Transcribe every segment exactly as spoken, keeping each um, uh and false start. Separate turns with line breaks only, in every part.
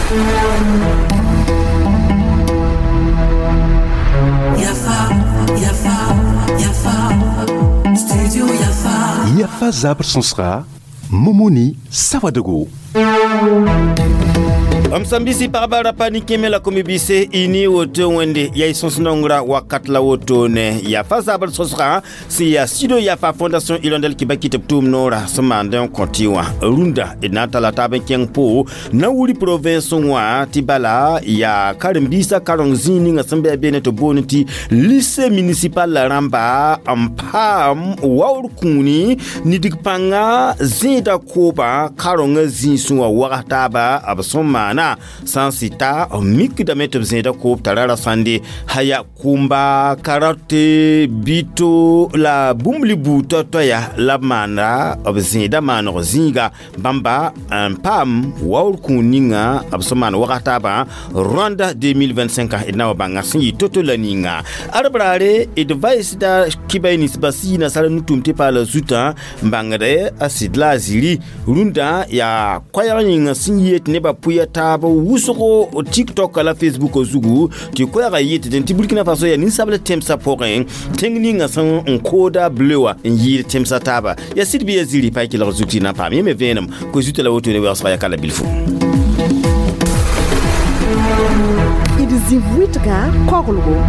Yafa, Yafa, Yafa, Studio Yafa.
Yafa zabr sõsga Momoni Sawadogo.
M sẽn bisi pagba ra pa nin-kẽeme la kom-bise y ne woto wẽnde yaa y sõs nongrã wakat la wotone yafa zabr sõsgã sẽn yaa Studio Yafa Fondation Hirondelle Kibaki tɩ b tʋʋm noorã sẽn maand n kõ tɩ wã rũndã d na n tala taab n kẽng po Nawuri province wã tɩ bala yaa karen-biisã kareng zĩig ninga sẽn bɩ a beene tɩ boond tɩ lycée municipal la rãmba n paam waoor kũuni nidg pãnga zẽeda koobã karengã zĩisẽ wã wags taaba b sẽn maana sã n sɩta b mikdame tɩ b zẽeda koob tara ra sãnde haya kʋmba karote bito la bũmb li buud toay-toaya la b maanda b zẽeda maaneg zĩiga bãmba n paam waoor kũun ninga b sẽn maan wags taabã Rwanda deux mille vingt-cinq d na wa bãnga sẽn yɩ to-to la ninga arbraare d vaɩsda kibay ninsbã sii nasara nu-tʋʋm tɩ paala zutã n bãngd a sɩd la a ziri rũndã yaa koɛɛg yĩnga sẽn yet nebã pʋya taab wʋsgo TikTok la Facebook zugu tɩ koɛɛgã yetd tɩ Burkina Faso yaa ninsabl tẽmsã pʋgẽ tẽng ninga sẽn n kooda bleu wã n yɩɩd tẽmsã taaba yaa sɩd bɩ ya ziri pa y kelg zug tɩ na n paam yẽ me vẽenem ko zuta la woto ne weoosga ya kala bilfu.
D zĩ-wɩtga koglgo.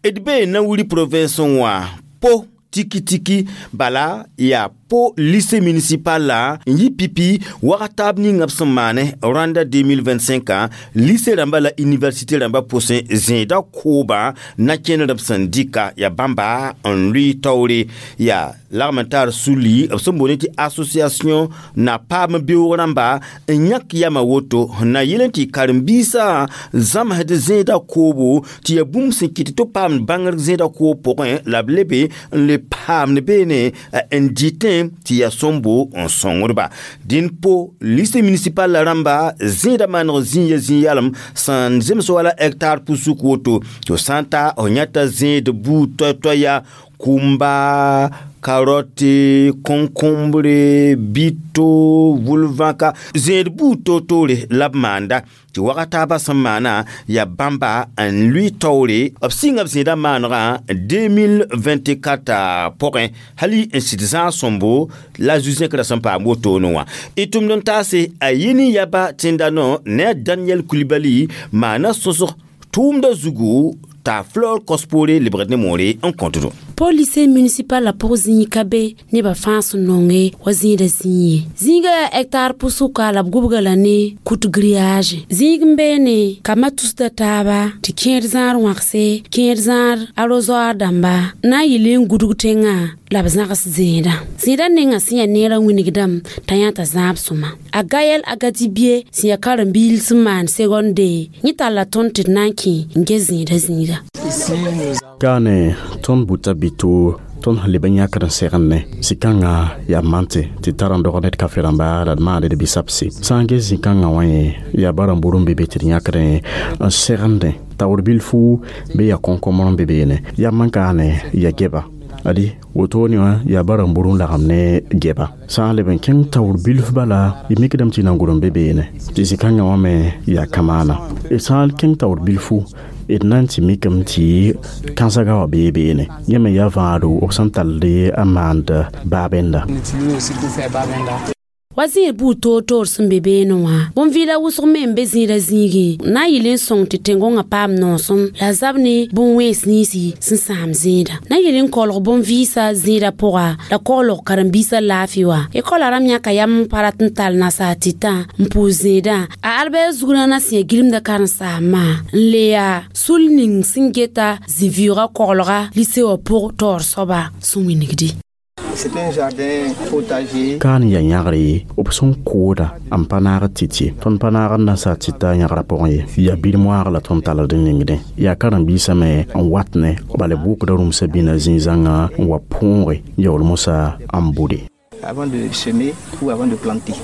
D bee Nawuri province wã po tiki-tiki bala yaa po lycée municipal la n yi pipi wagat taab ninga b sẽn maane Rwanda deux mille vingt-cinq lycée rãmba la université rãmba pʋsẽ zẽeda koobã na-kẽndr b sẽn dɩka yaa bãmba n lʋɩ taoore yaa lagm n tar suli b sẽn boond tɩ association na paam beoog rãmba n yãk yama woto n na yel n tɩ karen-biisã zãmsd zẽeda koobo tɩ yaa bũmb sẽn kɩt tɩ paam bãngr zẽeda koob pʋgẽ la b lebe n le paamd beene n dɩtẽ tɩ yaa sõmbo n sõngdba dĩn po lycée municipal la rãmba zẽeda maaneg zĩig ya zĩig yalem sẽn zems wala hectare pusuk woto tɩ sã n ta f yãta zẽed buud toay-toaya kʋmba carotte concombre bito vulvãka zẽed buud toor-toore la b maanda tɩ waga taabã sẽn maana yaa bãmba n lʋɩ taoore b sɩnga b zẽedã maanegã deux mille vingt-quatre pʋgẽ hali n sɩd zãag sõmbo la zu-zẽkrã sẽn paam wotone wã y tʋmd n taase a yeni yaba tẽnda no ne a Daniel Kulibali maana sõsg tʋʋmda zugu t'a Flore Kɔspore lebgd ne moore n kõtdo.
Po lycée municipal la pʋg zĩig ka be nebã fãa sẽn nonge wa zĩida zĩig ye zĩiga yaa hectare pʋsʋka la b gʋbga la ne kut grillage zĩig n beene kambã tusda taaba tɩ kẽed zãad wãgse kẽed zãad arrosoir dãmba na n yɩl n gudg tẽngã la b zãgs zẽedã zẽedã nengã sẽn yaa neerã wĩnigdame t'a yã t'a zãab sõma a Gayɛl Agadibie sẽn yaa karen-biil sẽn maan seconde yẽ talla tõnd tɩ d na n kẽ n ges zẽedã zĩiga.
Kaane tõnd buta bito tõnd sẽn leb n yãkd n segende zĩ-kãngã yaa mante tɩ tar n dog ned kafe rãmba la d maand d bisabse sã n ges zĩ-kãngã wã yẽ yaa barãmb n be be tɩ d yãkdẽ n segende taoor bilfu bɩ yaa concombre n be beene yaa man kaane yaa gɛba adi wotone wã yaa barãmbur n lagem ne gɛba sã n leb n kẽng taoor bilf bala y mikdame tɩ nangur n be beene tɩ zĩ-kãngã wã me yaa kamaana d sã n kẽng taoor bilfu d na n tɩ mikame tɩ kãnsagã wã bee beene yẽ me yaa vãado b sẽn tall n maand baabenda.
Wa zẽed buud toor-toor sẽn be beene wã bõn-vɩɩla wʋsg me n be zẽedã zĩigẽ na n yɩl n sõng tɩ tẽn-gõngã paam noosem la zab ne bõn-wẽns ninsi sẽn sãam zẽeda na n yɩl n kolg bõn-vɩɩsã zẽedã pʋga la koglg karen-biisã laafɩ wã ekɔla rãmb yãka yam n pa rat n tall nasaar tɩtã n pʋʋs zẽedã a Albert Zugrãna sẽn yaa gilmda karen-saambã n le yaa sul ning sẽn geta zĩ-vɩʋʋgã koglga lycée wã pʋg taoor soaba sẽn wĩnigdi.
C'est un jardin potager.
Kaan ya yãgre b sẽn kooda n pa naag tɩ tõnd pa naag n nasaar tɩta yãgra pʋgẽ ye yaa bil-moaag la tõnd talld n ningdẽ yaa karen-biisã me n wat ne bala b wʋkda rũmsã bĩna zĩig-zãngã n wa põoge yaool mosã n bude.
Avant de semer ou avant de planter.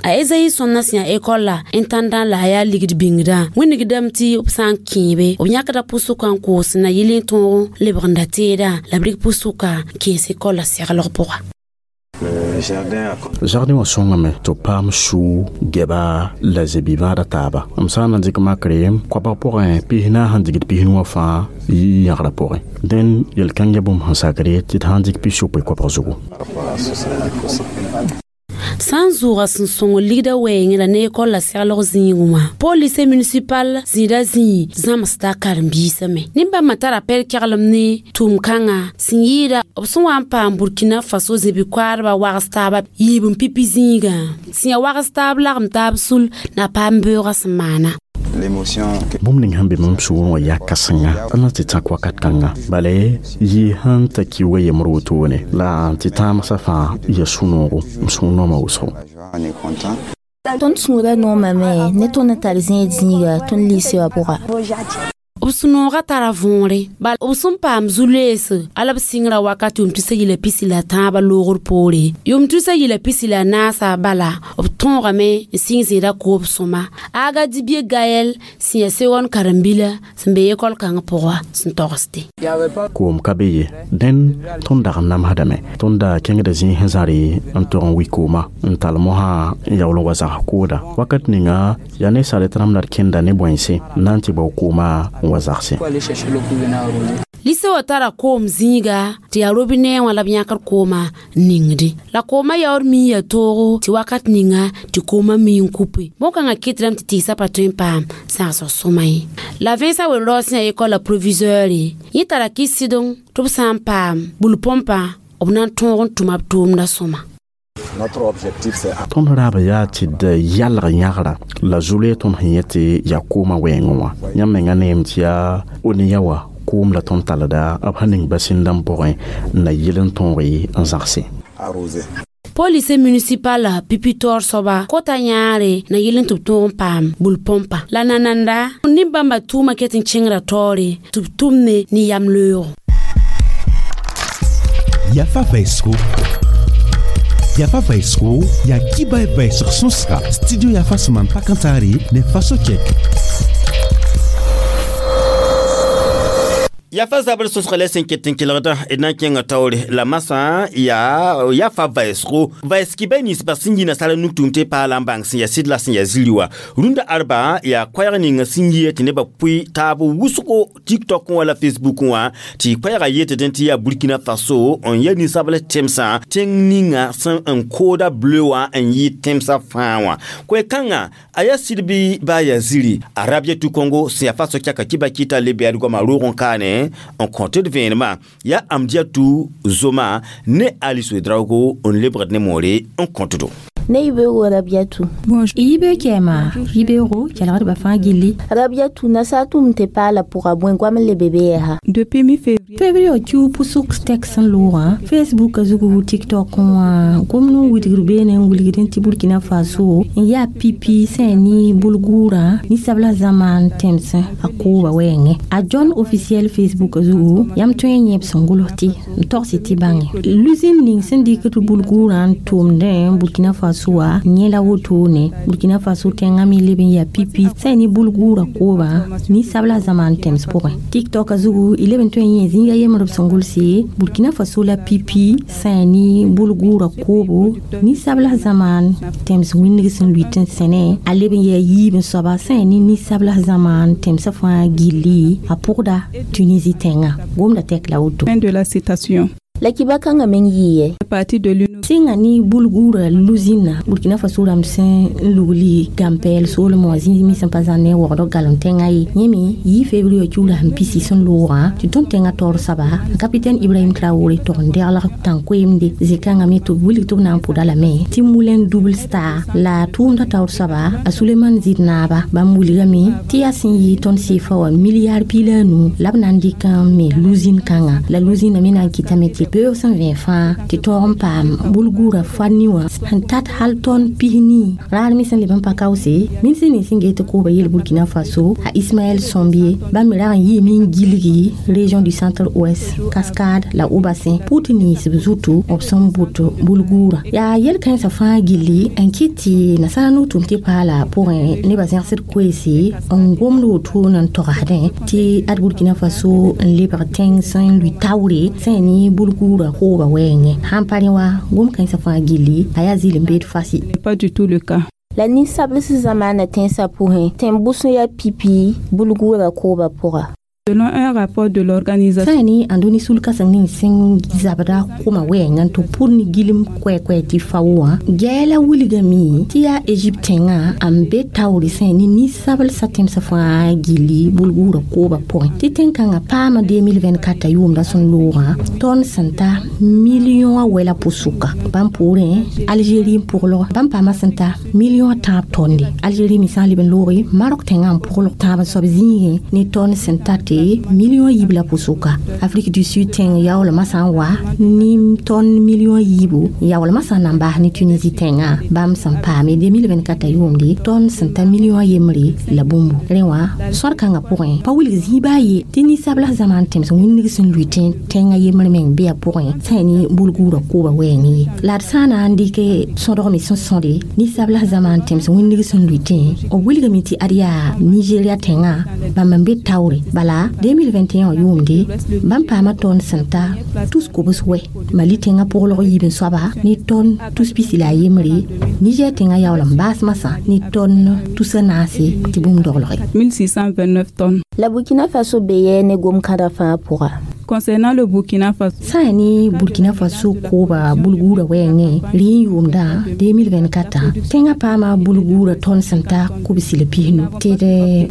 A Ezayi sõmna sẽn yaa ekɔl la intendant la a yaa ligd bĩngdã wĩnigdame tɩ b sã n kẽebe b yãkda pʋsʋka n koos na yɩl n tõog lebgenda teedã la b rɩk pʋsʋka n kẽes ekɔl la seglg pʋga.
Jardin wã sõngame tɩ b paam suu gɛba la zebi-vãada taaba m sã n na n dɩk makre koabg pʋgẽ pis-naas sẽn digd pis-nu wã fãa yɩ yãgrã pʋgẽ dẽn yel-kãng yaa bũmb sẽn sakre tɩ d sã n dɩk pis-yopoe koabg zugu.
Sã n zʋʋga sẽn sõng ligda wɛɛngẽ la ne ekol la seglg zĩigẽ wã pôl lycée municipal zĩida zĩig zãmsda karen-biisã me nin-bãmbã tara pɛl-keglem ne tʋʋm-kãngã sẽn yɩɩda b sẽn wa n paam Burkina Faso zẽbi-koaadbã wags taaba yiib n pipi zĩigã sẽn yaa wags taab lagem taab sul na paam beoogã sẽn maana.
Bũmb ning sẽn be mam sũurẽ wã yaa kãsenga d na tɩ tãk wakat kãnga bala yɩ sẽn ta kiuugã yembr wotone la tɩ tãamsã fãa ya sũ-noogo m sũur nooma wʋsgo.
Tõnd sũurã noomame ne tõnd n tar zẽed zĩiga tõnd lɩɩse wã pʋga.
B sũ-noogã tara võore bala b sẽn paam zu-loeese ala b sɩngrã wakat yʋʋm tusa yila pisi la tãabã loogr poore yʋʋm tusa yila pisi la naasa bala b tõogame n sɩng zẽeda koob sõma aga dibie gayɛl sẽn yaa segon karen-bila sẽn be ekɔl kãngã pʋga sẽn togsde.
Koom ka be ye dẽn tõnd dag n namsdame tõnd da kẽngda zĩig sẽn zãre n tog n wi kooma n tall mosã n yaool n wa zãgs kooda wakat ninga yaa ne saret rãmb la d kẽnda ne bõense n na n tɩ bao kooma n wa zagse.
Lise wã tara koom zĩiga tɩ yaa robinɛ wã la b yãkd koomã n ningdi la koomã yaood mi ya toogo tɩ wakat ninga tɩ koomã mi n kupe bõn-kãngã kɩtdame tɩ tɩɩsã pa tõe n paam sãgsg sõma ye la vẽensã wen-raoog sẽn yaa ekɔl la proviseure yẽ tara kɩs-sɩdeng tɩ b sã n paam bul-põmpã b na n tõog n tʋma b tʋʋmdã sõma.
Tõnd raaba yaa tɩ d yalg yãgra la zu-loe tõnd sẽn yẽ tɩ yaa koomã wɛɛngẽ wã yãmb menga neem tɩ yaa oniya wã koom la tõnd talda b sẽn ning basĩndãmb pʋgẽ n na yɩl n tõoge n zãgse.
Polise municipal pipi taoor soaba kota yãare na yɩl n tɩ b tõog n paam bul-põmpa la nananda nin-bãmba tʋʋma ket n kẽngra taoore tɩ b tʋmne ne yam loeego.
Yafa vaisgo Yafa vaisgo ya kiba vaisg sõsga studio Yafa sẽn maan pa-kãntaare ne faso kɛk.
Yafa zabr sosg la sẽn ket n kelgdã d na n kẽnga taoore la masã yaa yafa vaɛɛsgo vaɛɛs kibɛ ninsbã sẽn yi nasaara nugtʋʋm tɩ paala n bãng sẽn yaa sɩd la sẽn yaa ziri wã rũndã arba yaa koɛɛg ninga sẽn yia tɩ nebã pʋɩ taab wʋsgo TikTok wã la Facebook wã tɩ koɛɛgã yetɩ dẽn tɩ yaa Burkina Faso n ya ninsabl tẽmsã tẽng ninga sẽn n kooda bleu wã n yɩ tẽmsã fãa wã koɛ-kãngã a yaa sɩd bɩ baa yaa ziri a Rabiatu Congo sẽn yaa faso kɛka kɩba kɩta le bɛɛd goama roog n kaane n kõt d vẽenemã yaa Amdiatu Zoma ne Alice Ouedraogo n lebgd ne moore n kõtdo.
Ne yibeoogo Rabiatu.
Bonjour. Yibe kɛma yibeoogo kelgdbã fãa gilli.
Rabiatu nasaar tʋʋm tɩ paala pʋga bõe goam n le be be yɛsa.
Depuis mi-février. Février kiu pʋsg tex sẽn loogã Facebook zugu TikTok wã gomd n wilgr beene n wilgd tɩ Burkina Faso n yaa pipi sẽn ne bulgurã ninsabla zãma tẽmsẽ a kooba wɛɛngẽ a John officiel Facebook zugu yãmb tõe n yẽ b sẽn gʋls tɩ n togsɩ tɩ bãnge lusine ning sẽn dɩk tɩ bulgurã n tʋʋmdẽ Burkina Faso wa yẽ la wotone Burkina Faso tẽngã me leb n yaa pipi sẽn ne bulgurã koobã ninsabla zãma n tẽms pʋgẽ TikTok zugu y leb n tõe n yẽ zĩiga yembr b sẽn gʋlse Burkina Faso la pipi sẽn ne bulgurã koobo ninsabla zãma n tẽms wĩndg sẽn lʋɩt n sẽne a leb n yaa yiib n soaba sẽn ne ninsabla zãma n tẽmsã fãa gilli a pʋgda Tunisie tẽngã gomda tɛk la woto.
Fin de la citation.
La kiba kãngã meng yɩɩ
Partie de l'Union.
Sẽnga ne bulgurã lusĩnã Burkina Faso rãmb sẽn n lugli gãmpɛɛl soolem wã zĩig me sẽn pa zãn ne wogdg galem tẽngã ye yẽ me yɩ février kiuula sẽn pisi sẽn loogã tɩ tõnd tẽngã taoor soaba capitaine Ibrahim Traoré tog n deglg tãn-koeemde zĩ-kãngã me tɩ b wilg tɩ b na n pʋda lame tɩ Moulin double star la tʋʋmdã taoor soaba a Suleiman Zid naaba bãmb wilgame tɩ yaa sẽn yɩ tõnd seefa wã milliard piig la a nu la b na n dɩk n me lusine kãngã la lusine me na n kɩtame tɩ beoog sẽn vẽ fãa tɩ tõog n paam bulgurã fa-ni wã sẽn tat hal tõnd pis-nii raar me sẽn leb n pa kaoose min sẽn ning sẽn get tɩ kooba yel Burkina Faso a Ismaël Sombie bãmb me rag n yɩɩme n gilgi région du centre ouest Cascade la Haut-Bassin pʋʋt nins b zutu b sẽn bʋt bulgurã yaa yel-kãensã fãa gilli n kɩt tɩ nasaara no-tʋʋm tɩ paala pʋgẽ nebã zẽgsd koeese n gomd wotone n togsdẽ tɩ ad Burkina Faso n lebg tẽng sẽn lʋɩ taoore sẽn ne bulgurã kooba wɛɛngẽ sãn pa rẽ wa gomd Gom-kãensã fãa gilli a yaa zɩɩl n beed fasi.
Pas du tout le cas.
La ninsabls zamaana tẽnsã pʋgẽ, tẽn-bʋs n yaa pipi bulguurã koobã pʋga.
Selon un rapport de l'organisation.
Sã ne ãndo sul-kãseng ning sẽn zabda kʋma wɛɛngã tɩ pʋr ne gilem koɛɛ-koɛɛ tɩ fa wã gɛɛla wilgame tɩ yaa Egypte tẽngã n be taoore sã ne ninsabl-sã tẽmsã fãa gilli bulguurã koobã pʋgẽ tɩ tẽn-kãngã paama deux mille vingt-quatre yʋʋmdã sẽn loogã tõnd sẽn ta million a wɛla pʋsʋka bãmb poorẽ Algérie n pʋglg bãmb paama sẽn ta million a tãab tõnde Algérie me sã n leb n looge Maroc tẽngã n pʋglg tãab n soab zĩigẽ ne tõnd sẽn ta tɩ million yiib la pʋsʋka Afrique du Sud tẽng yaoolmã sã n wa ne tõnd million yiibu yaoolmã sã n na n baas ne Tunisie tẽngã bãmb sẽn paame deux mille vingt-quatre yʋʋmde tõnd sẽn ta million yembre la bũmbu rẽ wã sõd-kãngã pʋgẽ pa wilg zĩig baa ye tɩ ninsabls zãma n tẽms wĩnnig sẽn lʋɩ tẽngã yembr meng bɩ a pʋgẽ sã ne bulguurã koobã wɛɛngẽ ye la d sã n na n dɩk sõdg me sẽn sõde ninsabls zãma n tẽms wĩnnig sẽn lʋɩ tẽ b wilgame tɩ ad yaa Nigeria tẽngã bãmb n be taoore bala deux mille vingt et un yʋʋmde bãmb paama tõnd sẽn ta tus kobs wɛ Mali tẽngã pʋglg yiib n soaba ne tõnd tus pisi la a yembre Niger tẽngã yaool n baas masã ne tõnd tusa naase tɩ bũmb doglge
mille six cent vingt-neuf tonnes.
La Burkina Faso be yɛɛ ne gom-kãra fãa pʋga.
Concernant le Burkina Faso.
Sã yaa ne Burkina Faso kooba bulguurã wɛɛngẽ rɩ n yʋʋmdã deux mille vingt-quatre tẽngã paama bulguurã tõnd sẽn ta kobsi la pisnu tɩ d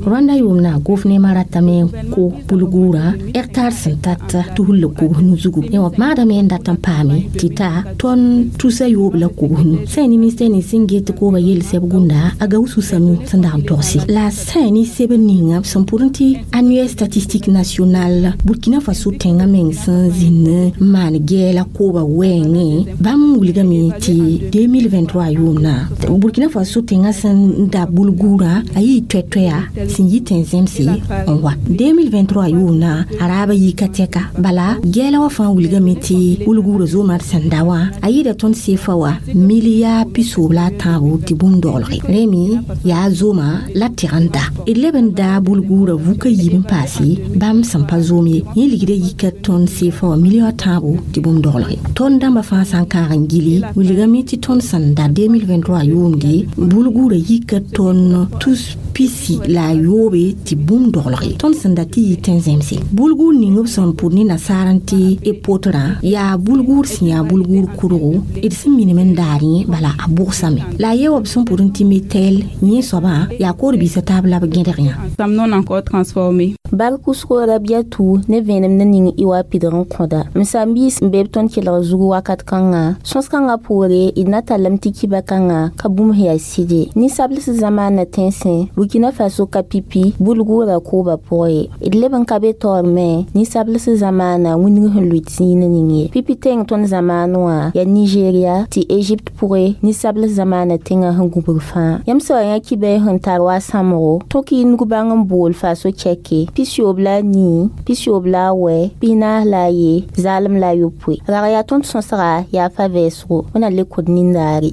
Rwanda yʋʋmdã gofnema ratame n ko bulguurã hectare sẽn tat tusr la kobsnu zugu wã maadame n dat n paame tɩ ta tõnd tusa yoob la kobsnu sã yaa ne ministɛr nins sẽn get kooba yell sɛb gũnda a Gawusu Sanu sẽn dag n togse la sã yaa ne sebr ninga b sẽn pʋr tɩ annuaire statistique nationale Burkina Faso tẽngã meng sẽn zĩnd n maan gɛɛla kooba wɛɛngẽ bãmb wilgame tɩ deux mille vingt-trois yʋʋmdã Burkina Faso tẽngã sẽn da bulguurã a yɩ toɛ-toɛya sẽn yi tẽn-zẽmse n wa deux mille vingt-trois yʋʋmdã a raaba yika tɛka bala gɛɛla wã fãa wilgame tɩ bulguurã zoomã d sẽn da wã a yɩɩda tõnd seefa wa milliard pisoob la a tãabo tɩ bũmb doglge rẽ me yaa zooma la tɩg n da d leb n daa bulguurã vuka yiib n paase bãmb sẽn pa zoom ye yẽ ligda yika tõnd seefa wa million tãabo tɩ bũmb doglge tõnd dãmbã fãa sã n kãag n gili wilgame tɩ tõnd sẽn da deux mille vingt-trois yʋʋmde bulguurã yika tõnd tus pisi la a yoobe tɩ bũmb doglge tõnd sẽn da tɩ yɩ tẽn-zẽmse bulguur ning b sẽn pʋd ne nasaar n tɩ e potrã yaa bulguur sẽn yaa bulguur kʋrgo d sẽn minim n daar yẽ bala a bʋgsame la a ye wa b sẽn pʋd n tɩ metel yẽ soabã yaa koor-biisã taab la b gẽdg yã.
Femmes non encore transformées.
Bar kusgo Rabiatu ne vẽenem ne ning y wa pidg n kõda m saam-biis n be b tõnd kelg zug wakat kãngã sõs-kãngã poore d na tallame tɩ kiba kãngã ka bũmb sẽn yaa sɩde ninsabls zamaana tẽnsẽ Burkina Faso ka pipi bulguurã koobã pʋgẽ ye d leb n ka be taoor me ninsabls zamaana wĩndg sẽn lʋɩt zĩig ning ye pipi tẽng tõnd zamaan wã yaa Nigeria tɩ Egypte pʋgẽ ninsabls zamaana tẽngã sẽn gũbg fãa yãmb sã wa yã kibɛɛ sẽn tar wa sãmgo tõk y nug-bãng n bool Faso chɛke pisiyoob la a nii pisiyoob la a wɛ pisnaas la a ye zaalem la a yopoe rag yaa tõnd sõsga yaa fa vɛɛsgo wẽna le kod nindaare.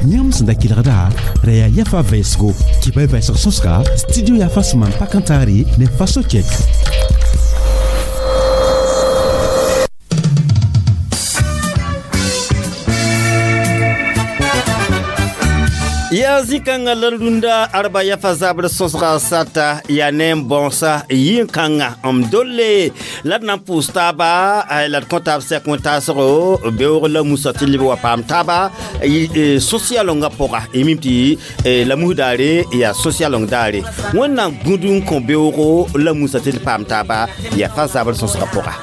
Yãmb sẽn da kelgda ra yaa yafa vɛɛsgo kɩ-ba vɛɛsg sõsga studio yafa sẽn maan pak n taare ne faso kɛk.
Yaa zĩ-kãngã la rũndã arba yafa zabr sõsga sata yaa ne n bãoosa yĩn-kãngã m dolle la d na n pʋʋs taaba la d kõ taab sɛk wẽn-taasgo beoog la musa tɩ leb wa paam taaba sosialongã pʋga y mim tɩ la mus daare yaa sosialong daare wẽnnaam gũd n kõ beoogo la musa tɩ d paam taaba yaa fa zabr sõsgã pʋga.